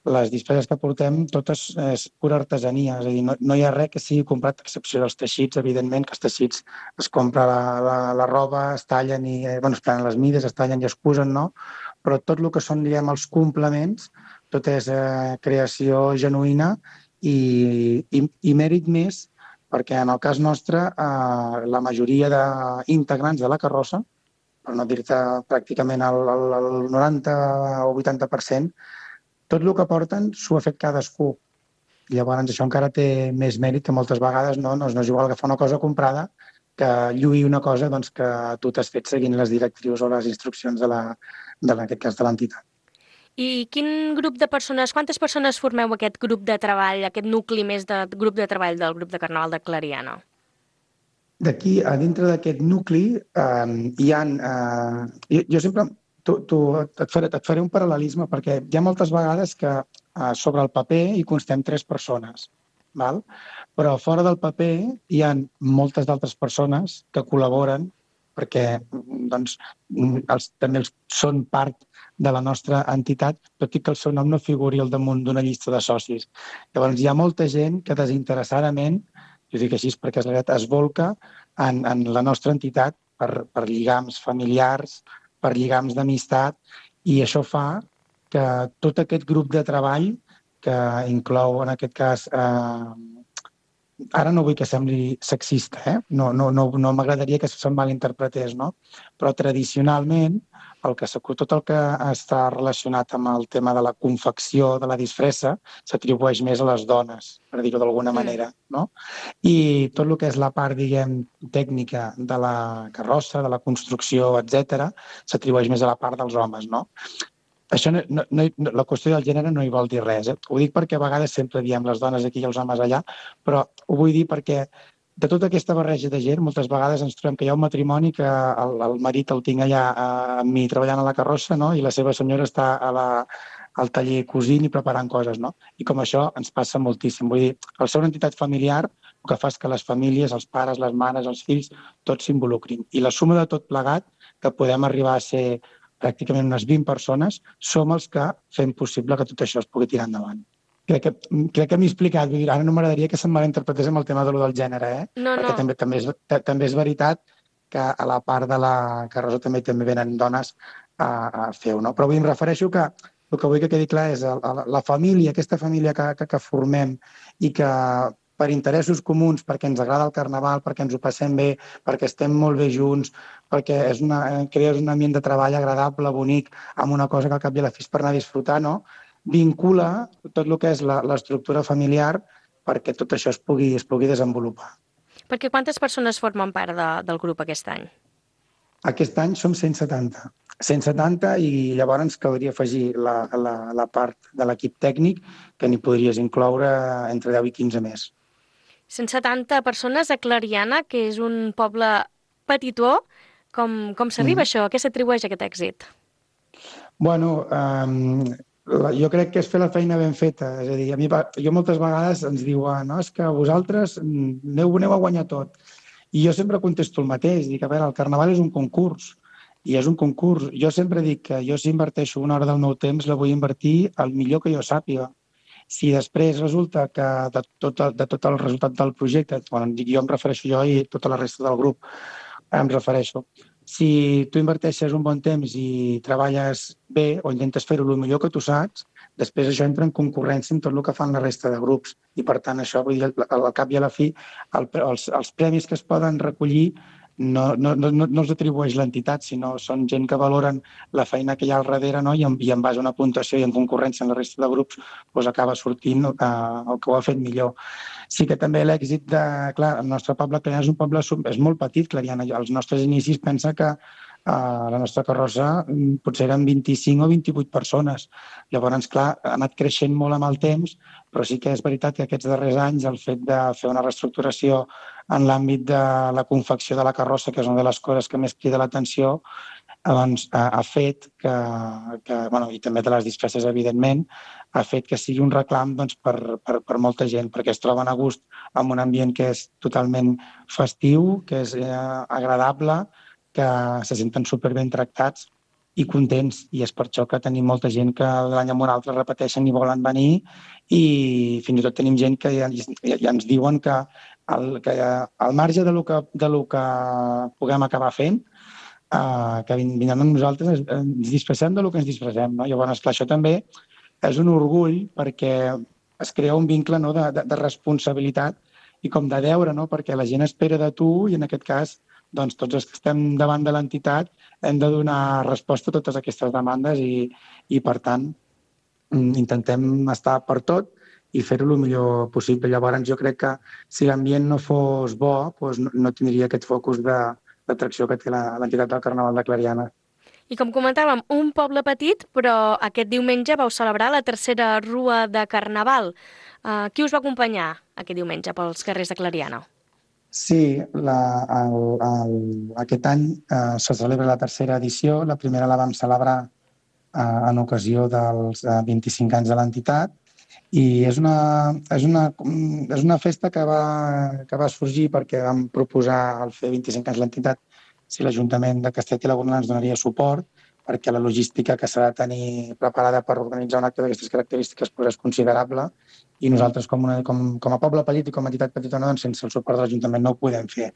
les disfresses que portem totes és pura artesania, és a dir, no, no hi ha res que sigui comprat, a excepció dels teixits, evidentment, que els teixits es compra la, la, la roba, es tallen i, eh, bueno, es prenen les mides, es tallen i es cusen, no? Però tot el que són, diguem, els complements, tot és eh, creació genuïna i, i, i mèrit més, perquè en el cas nostre eh, la majoria d'integrants de la carrossa, per no dir-te pràcticament el, el, el noranta o vuitanta per cent, tot el que porten s'ho ha fet cadascú. Llavors això encara té més mèrit que moltes vegades no, no, no és igual agafar una cosa comprada que lluir una cosa doncs, que tu t'has fet seguint les directrius o les instruccions de la, de, en aquest cas de l'entitat. I quin grup de persones, quantes persones formeu aquest grup de treball, aquest nucli més de grup de treball del grup de Carnaval de Clariana? D'aquí, a dintre d'aquest nucli, eh, hi ha... Eh, jo, jo sempre tu, tu, et, faré, et faré un paral·lelisme, perquè hi ha moltes vegades que eh, sobre el paper hi constem tres persones, val? Però fora del paper hi ha moltes d'altres persones que col·laboren perquè doncs, els, també els, són part de la nostra entitat, tot i que el seu nom no figuri al damunt d'una llista de socis. Llavors, hi ha molta gent que desinteressadament, jo dic així perquè és la veritat, es volca en, en la nostra entitat per, per lligams familiars, per lligams d'amistat, i això fa que tot aquest grup de treball, que inclou en aquest cas... Eh, ara no vull que sembli sexista, eh? no, no, no, no m'agradaria que se'n malinterpretés, no? Però tradicionalment el que, tot el que està relacionat amb el tema de la confecció de la disfressa s'atribueix més a les dones, per dir-ho d'alguna manera, no? I tot el que és la part, diguem, tècnica de la carrossa, de la construcció, etcètera, s'atribueix més a la part dels homes, no? Això no, no, no, la qüestió del gènere no hi vol dir res. Eh? Ho dic perquè a vegades sempre diem les dones aquí i els homes allà, però ho vull dir perquè de tota aquesta barreja de gent, moltes vegades ens trobem que hi ha un matrimoni que el, el marit el tinc allà eh, amb mi treballant a la carrossa, no? I la seva senyora està a la, al taller cosint i preparant coses. No? I com això ens passa moltíssim. Vull dir, al ser una entitat familiar, el que fa és que les famílies, els pares, les mares, els fills, tots s'involucrin. I la suma de tot plegat, que podem arribar a ser pràcticament unes vint persones, som els que fem possible que tot això es pugui tirar endavant. Crec que, crec que m'he explicat, vull dir, ara no m'agradaria que se'm malinterpretés amb el tema de lo del gènere, eh? No, no. Perquè també, també, és, també és veritat que a la part de la carrossa també també venen dones a, a fer-ho, no? Però vull, em refereixo que el que vull que quedi clar és la, la família, aquesta família que, que, que formem i que per interessos comuns, perquè ens agrada el carnaval, perquè ens ho passem bé, perquè estem molt bé junts, perquè és una, crees un ambient de treball agradable, bonic, amb una cosa que al cap i a la fi és per anar a disfrutar, no? Vincula tot el que és l'estructura familiar perquè tot això es pugui, es pugui desenvolupar. Perquè quantes persones formen part de, del grup aquest any? Aquest any som cent setanta. cent setanta i llavors ens caldria afegir la, la, la part de l'equip tècnic que n'hi podries incloure entre deu i quinze més. cent setanta persones a Clariana, que és un poble petitó. Com, com s'arriba mm. això? A què s'atribueix aquest èxit? Bueno, um, jo crec que és fer la feina ben feta. És a dir, a mi, jo moltes vegades ens diuen no, és que vosaltres aneu, aneu a guanyar tot. I jo sempre contesto el mateix. Dic, a veure, el carnaval és un concurs. I és un concurs. Jo sempre dic que jo si inverteixo una hora del meu temps la vull invertir el millor que jo sàpiga. Si després resulta que de tot, de tot el resultat del projecte, bueno, jo em refereixo jo i tota la resta del grup, em refereixo. Si tu inverteixes un bon temps i treballes bé o intentes fer-ho el millor que tu saps, després això entra en concurrència amb tot el que fan la resta de grups. I per tant, això, vull dir, al cap i a la fi, el, els, els premis que es poden recollir no, no, no, no els atribueix l'entitat, sinó són gent que valoren la feina que hi ha al darrere, no? I, en, i en base a una puntuació i en concurrència amb la resta de grups doncs acaba sortint eh, el que ho ha fet millor. Sí que també l'èxit de... Clar, el nostre poble Clariana és un poble és molt petit, Clariana. Els nostres inicis pensa que a la nostra carrossa potser eren vint-i-cinc o vint-i-vuit persones. Llavors, clar, ha anat creixent molt amb el temps, però sí que és veritat que aquests darrers anys el fet de fer una reestructuració en l'àmbit de la confecció de la carrossa, que és una de les coses que més crida l'atenció, doncs, ha, ha fet que, que bueno, i també de les disfresses, evidentment, ha fet que sigui un reclam doncs, per, per, per molta gent, perquè es troben a gust en un ambient que és totalment festiu, que és eh, agradable, que se senten superben tractats i contents, i és per això que tenim molta gent que l'any en un altre repeteixen i volen venir, i fins i tot tenim gent que ja, ja, ja ens diuen que al, que al marge de lo que, de lo que puguem acabar fent, eh, que vindran amb nosaltres, ens disfressem de lo que ens disfressem. No? Llavors, clar, això també és un orgull perquè es crea un vincle, no, de, de, de responsabilitat i com de deure, no? Perquè la gent espera de tu i en aquest cas doncs tots els que estem davant de l'entitat hem de donar resposta a totes aquestes demandes i, i per tant, intentem estar per tot i fer-ho el millor possible. Llavors, jo crec que si l'ambient no fos bo, doncs no, no tindria aquest focus d'atracció que té l'entitat del Carnaval de Clariana. I com comentàvem, un poble petit, però aquest diumenge vau celebrar la tercera rua de Carnaval. Uh, qui us va acompanyar aquest diumenge pels carrers de Clariana? Sí, la, el, el, aquest any eh, se celebra la tercera edició. La primera la vam celebrar eh, en ocasió dels eh, vint-i-cinc anys de l'entitat i és una, és una, és una festa que va, que va sorgir perquè vam proposar al fer vint-i-cinc anys l'entitat si l'Ajuntament de Castellet i la Gornal ens donaria suport, perquè la logística que s'ha de tenir preparada per organitzar un acte d'aquestes característiques és considerable i nosaltres com, una, com, com a poble petit i com a entitat petitona, doncs, sense el suport de l'Ajuntament no ho podem fer.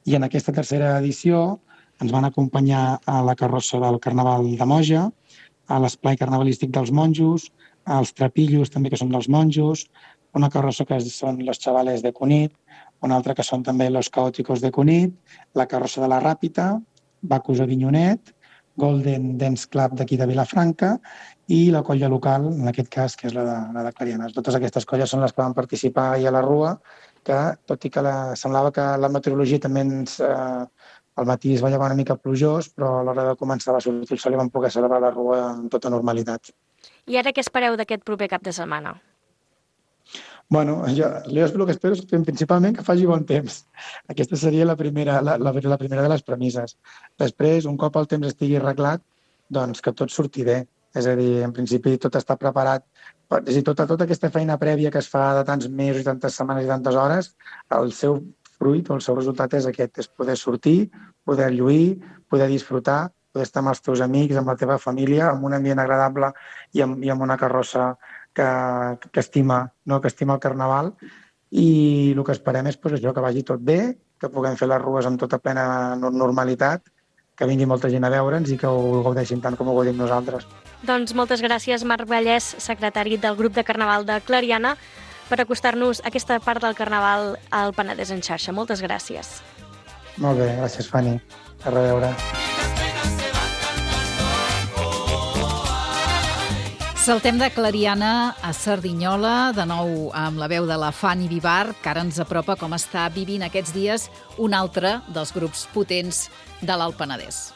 I en aquesta tercera edició ens van acompanyar a la carrossa del Carnaval de Moja, a l'esplai carnavalístic dels monjos, als trapillos també que són dels monjos, una carrossa que són los chavales de Cunit, una altra que són també los caóticos de Cunit, la carrossa de la Ràpita, Bacus Avinyonet, Golden Dance Club d'aquí de Vilafranca i la colla local, en aquest cas, que és la de, la de Clariana. Totes aquestes colles són les que van participar ahir a la Rua, que tot i que la, semblava que la meteorologia també ens... Eh, al matí es va llevar una mica plujós, però a l'hora de començar va sortir el sol i vam poder celebrar la Rua amb tota normalitat. I ara què espereu d'aquest proper cap de setmana? Bueno, jo, jo el que espero és principalment que faci bon temps. Aquesta seria la primera, la, la, la primera de les premisses. Després, un cop el temps estigui arreglat, doncs que tot surti bé. És a dir, en principi tot està preparat. És a dir, tota, tota aquesta feina prèvia que es fa de tants mesos i tantes setmanes i tantes hores, el seu fruit o el seu resultat és aquest, és poder sortir, poder lluir, poder disfrutar, poder estar amb els teus amics, amb la teva família, amb un ambient agradable i amb, i amb una carrossa que, que, estima, no? que estima el Carnaval. I el que esperem és pues, això, que vagi tot bé, que puguem fer les rues amb tota plena normalitat, que vingui molta gent a veure'ns i que ho gaudeixin tant com ho gaudim nosaltres. Doncs moltes gràcies, Marc Vallès, secretari del grup de Carnaval de Clariana, per acostar-nos a aquesta part del Carnaval al Penedès en xarxa. Moltes gràcies. Molt bé, gràcies, Fanny. A reveure. Saltem de Clariana a Cerdanyola, de nou amb la veu de la Fanny Vivar, que ara ens apropa com està vivint aquests dies un altre dels grups potents de l'Alt Penedès.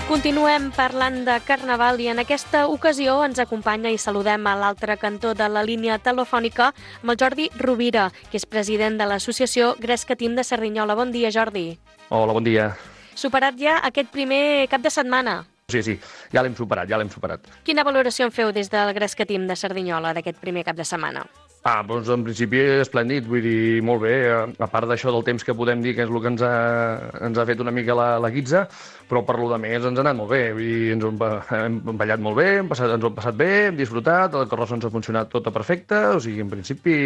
Continuem parlant de Carnaval i en aquesta ocasió ens acompanya i saludem a l'altre cantó de la línia telefònica amb el Jordi Rovira, que és president de l'associació Gresca Team de Cerdanyola. Bon dia, Jordi. Hola, bon dia. Superat ja aquest primer cap de setmana. Sí, sí, ja l'hem superat, ja l'hem superat. Quina valoració en feu des del Gresca Team de Cerdanyola d'aquest primer cap de setmana? Ah, doncs en principi esplèndid, vull dir, molt bé, a part d'això del temps que podem dir que és el que ens ha, ens ha fet una mica la, la guitza, però per lo de més ens ha anat molt bé, vull dir, ens ho hem ballat molt bé, hem passat, ens ho hem passat bé, hem disfrutat, la carrossa ens ha funcionat tota perfecta, o sigui, en principi,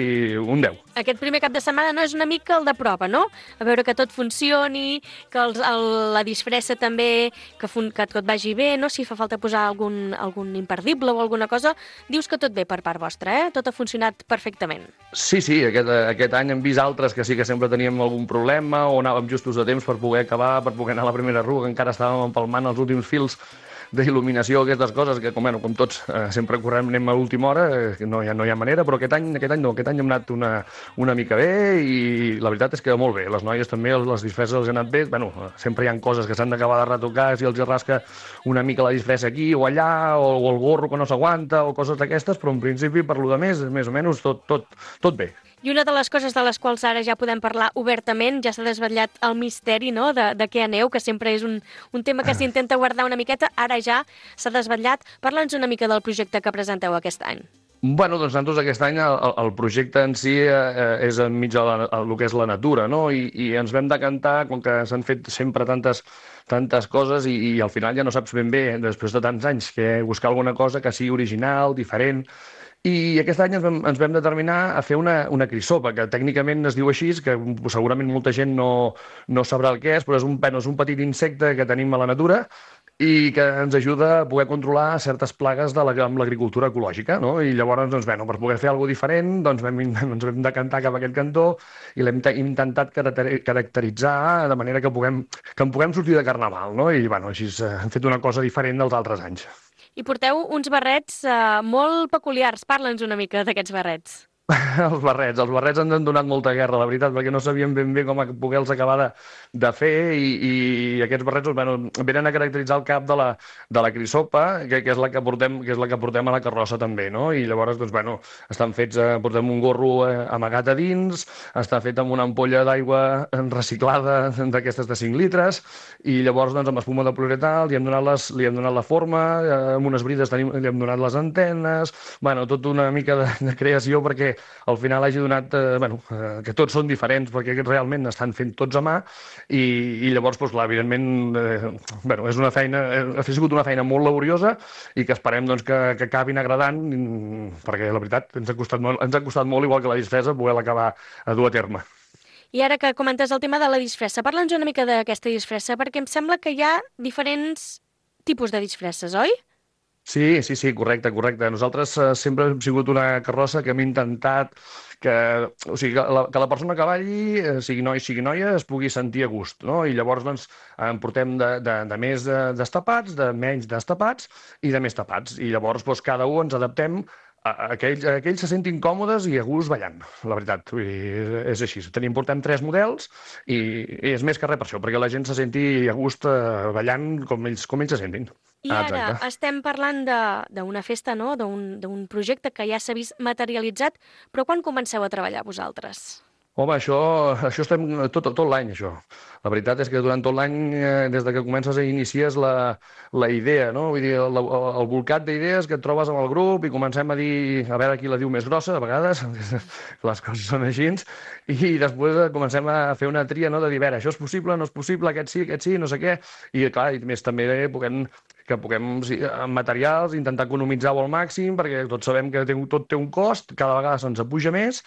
un deu. Aquest primer cap de setmana no és una mica el de prova, no? A veure que tot funcioni, que els, el, la disfressa també, que, fun, que tot vagi bé, no? Si fa falta posar algun, algun imperdible o alguna cosa, dius que tot bé per part vostra, eh? Tot ha funcionat perfectament. Sí, sí, aquest, aquest any hem vist altres que sí que sempre teníem algun problema o anàvem justos de temps per poder acabar, per poder anar a la primera rua, que encara estàvem empalmant els últims fils d'il·luminació, aquestes coses, que com, bueno, com tots eh, sempre correm, anem a l'última hora, eh, no, hi ha, no hi ha manera, però aquest any, aquest any no, aquest any hem anat una, una mica bé i la veritat és que molt bé. Les noies també, les disfresses els han anat bé. Bueno, sempre hi ha coses que s'han d'acabar de retocar, si els rasca una mica la disfressa aquí o allà, o, o el gorro que no s'aguanta, o coses d'aquestes, però en principi, per lo de més, més o menys tot, tot, tot bé. I una de les coses de les quals ara ja podem parlar obertament, ja s'ha desvetllat el misteri, no?, de, de què aneu, que sempre és un, un tema que s'intenta guardar una miqueta, ara ja s'ha desvetllat. Parla'ns una mica del projecte que presenteu aquest any. Bueno, doncs nosaltres aquest any el, el projecte en si eh, és enmig de la, el que és la natura, no? I, i ens vam decantar, com que s'han fet sempre tantes, tantes coses i, i al final ja no saps ben bé, després de tants anys, que buscar alguna cosa que sigui original, diferent. I aquest any ens vam, ens vam determinar a fer una, una crisopa, que tècnicament es diu així, que segurament molta gent no, no sabrà el que és, però és un, bueno, és un petit insecte que tenim a la natura i que ens ajuda a poder controlar certes plagues de la, amb l'agricultura ecològica, no? I llavors, doncs, bueno, per poder fer alguna cosa diferent, doncs vam, ens vam decantar cap a aquest cantó i l'hem intentat caracteritzar de manera que, puguem, que en puguem sortir de carnaval, no? I, bueno, així hem fet una cosa diferent dels altres anys. I porteu uns barrets eh, molt peculiars. Parla'ns una mica d'aquests barrets. Els barrets. Els barrets ens han donat molta guerra, la veritat, perquè no sabíem ben bé com poder-los acabar de, de fer i, i aquests barrets bueno, venen a caracteritzar el cap de la, de la crisopa, que, que, és la que, portem, que és la que portem a la carrossa també, no? I llavors, doncs, bueno, estan fets, eh, portem un gorro eh, amagat a dins, està fet amb una ampolla d'aigua reciclada d'aquestes de cinc litres, i llavors, doncs, amb espuma de poliuretà li hem donat, les, li hem donat la forma, eh, amb unes brides tenim, li hem donat les antenes, bueno, tot una mica de, de creació perquè al final hagi donat, eh, bueno, eh, que tots són diferents perquè realment estan fent tots a mà i, i llavors, doncs, clar, evidentment, eh, bueno, és una feina, ha sigut una feina molt laboriosa i que esperem doncs, que, que acabin agradant perquè la veritat ens ha costat molt, ens ha costat molt igual que la disfressa poder-la acabar a dur a terme. I ara que comentes el tema de la disfressa, parla'ns una mica d'aquesta disfressa perquè em sembla que hi ha diferents tipus de disfresses, oi? Sí, sí, sí, correcte, correcte. Nosaltres eh, sempre hem sigut una carrossa que hem intentat que, o sigui, que, la, que la persona que balli, eh, sigui noi, sigui noia, es pugui sentir a gust, no? I llavors, doncs, en portem de, de, de més de, destapats, de menys destapats i de més tapats. I llavors, doncs, cada un ens adaptem a, a, que ells, a que ells se sentin còmodes i a gust ballant, la veritat. Vull dir, és així. Tenim, portem tres models i, i és més que res per això, perquè la gent se senti a gust eh, ballant com ells, com ells se sentin. I ara Exacte. estem parlant d'una festa, no?, d'un projecte que ja s'ha vist materialitzat, però quan comenceu a treballar vosaltres? Home, això, això estem tot, tot l'any, això. La veritat és que durant tot l'any, eh, des de que comences a inicies la, la idea, no? Vull dir, el, el volcat d'idees que et trobes amb el grup i comencem a dir, a veure qui la diu més grossa, a vegades, les coses són així, i després comencem a fer una tria, no?, de dir, a veure, això és possible, no és possible, aquest sí, aquest sí, no sé què, i clar, i més també puguem que puguem, sí, amb materials, intentar economitzar-ho al màxim, perquè tots sabem que té, tot té un cost, cada vegada se'ns apuja més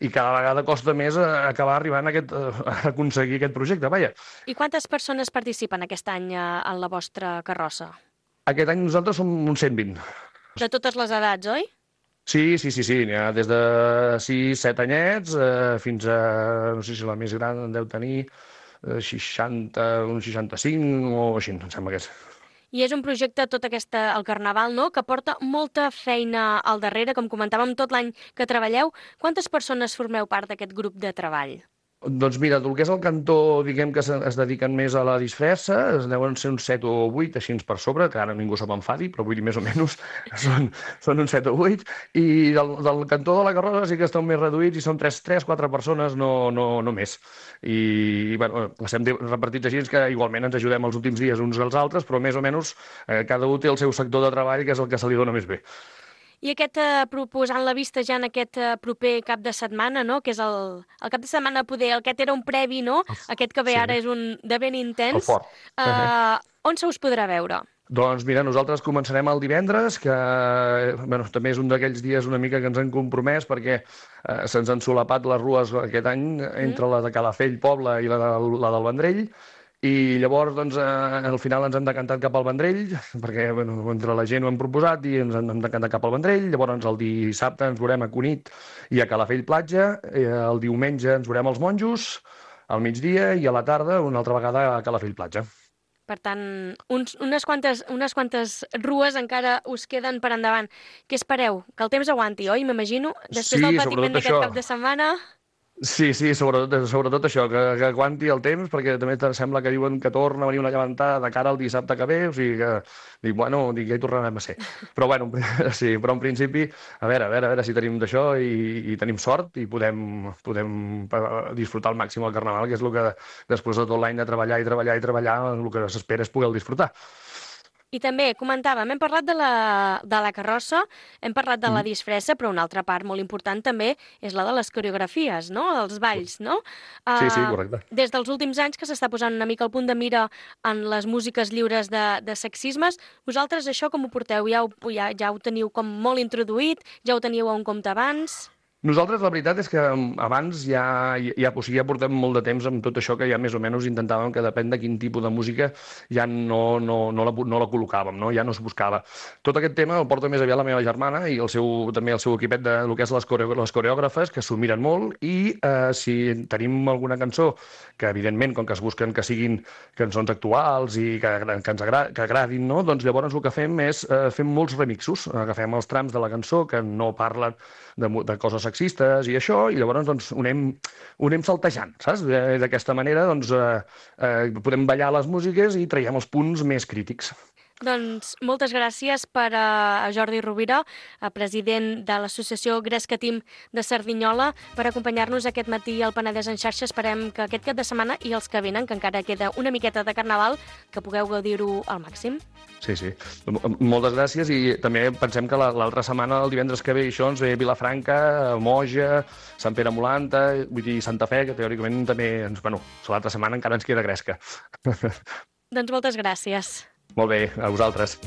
i cada vegada costa més acabar arribant a, aquest, a aconseguir aquest projecte, vaja. I quantes persones participen aquest any en la vostra carrossa? Aquest any nosaltres som uns cent vint. De totes les edats, oi? Sí, sí, sí, sí, n'hi ha des de sis set anyets eh, fins a, no sé si la més gran en deu tenir eh, seixanta, uns seixanta-cinc o així, em sembla que és. I és un projecte, tot aquesta, el Carnaval, no?, que porta molta feina al darrere, com comentàvem, tot l'any que treballeu. Quantes persones formeu part d'aquest grup de treball? Doncs mira, el que és el cantó, diguem que es dediquen més a la disfressa, es deuen ser uns set o vuit, així per sobre, que ara ningú se m'enfadi, però vull dir més o menys són, són uns set o vuit, i del, del cantó de la carrossa sí que estan més reduïts i són tres, quatre persones, no, no, no més. I, bueno, estem repartits així, que igualment ens ajudem els últims dies uns als altres, però més o menys eh, cada un té el seu sector de treball, que és el que se li dona més bé. I aquest, eh, proposant la vista ja en aquest eh, proper cap de setmana, no?, que és el, el cap de setmana poder, aquest era un previ, no?, aquest que ve sí. ara és un de ben intens. El fort. Eh, on se us podrà veure? Doncs mira, nosaltres començarem el divendres, que bueno, també és un d'aquells dies una mica que ens hem compromès perquè eh, se'ns han solapat les rues aquest any entre mm. la de Calafell, Poble, i la, de, la del Vendrell. I llavors, doncs, eh, al final ens hem decantat cap al Vendrell, perquè bueno, entre la gent ho hem proposat i ens hem decantat cap al Vendrell. Llavors, el dissabte ens veurem a Cunit i a Calafell Platja. El diumenge ens veurem als Monjos, al migdia, i a la tarda una altra vegada a Calafell Platja. Per tant, uns, unes, quantes, unes quantes rues encara us queden per endavant. Què espereu? Que el temps aguanti, oi? M'imagino, després Sí, del patiment d'aquest això. cap de setmana... Sí, sí, sobretot, sobretot això, que, que aguanti el temps, perquè també sembla que diuen que torna a venir una llevantada de cara al dissabte que ve, o sigui que, dic, bueno, dic, ja hi tornarem a ser. Però, bueno, sí, però en principi, a veure, a veure, a veure si tenim d'això i, i tenim sort i podem, podem disfrutar al màxim el Carnaval, que és el que després de tot l'any de treballar i treballar i treballar, el que s'espera és poder disfrutar. I també comentàvem, hem parlat de la, de la carrossa, hem parlat de la disfressa, però una altra part molt important també és la de les coreografies, no? Els balls, no? Sí, sí, correcte. Uh, des dels últims anys que s'està posant una mica el punt de mira en les músiques lliures de, de sexismes, vosaltres això com ho porteu? Ja ho, ja, ja ho teniu com molt introduït? Ja ho teníeu a un compte abans? Nosaltres la veritat és que abans ja, ja, o sigui, ja portem molt de temps amb tot això que ja més o menys intentàvem que depèn de quin tipus de música ja no, no, no, la, no la col·locàvem, no? Ja no es buscava. Tot aquest tema el porta més aviat la meva germana i el seu, també el seu equipet de lo que és les, coreo, les coreògrafes, que s'ho miren molt i eh, si tenim alguna cançó que evidentment, com que es busquen que siguin cançons actuals i que, que ens agra, que agradin, no? Doncs llavors el que fem és eh, fem molts remixos, agafem els trams de la cançó que no parlen de, de coses sexistes i això, i llavors doncs, ho, anem, ho anem saltejant, saps? D'aquesta manera doncs, eh, eh, podem ballar les músiques i traiem els punts més crítics. Doncs moltes gràcies per a Jordi Rovira, president de l'associació Gresca Team de Cerdanyola, per acompanyar-nos aquest matí al Penedès en xarxa. Esperem que aquest cap de setmana i els que venen, que encara queda una miqueta de Carnaval, que pugueu gaudir-ho al màxim. Sí, sí. Moltes gràcies i també pensem que l'altra setmana, el divendres que ve, això ens ve Vilafranca, Moja, Sant Pere Molanta, vull dir Santa Fe, que teòricament també, ens, bueno, l'altra setmana encara ens queda Gresca. Doncs moltes gràcies. Molt bé, a vosaltres.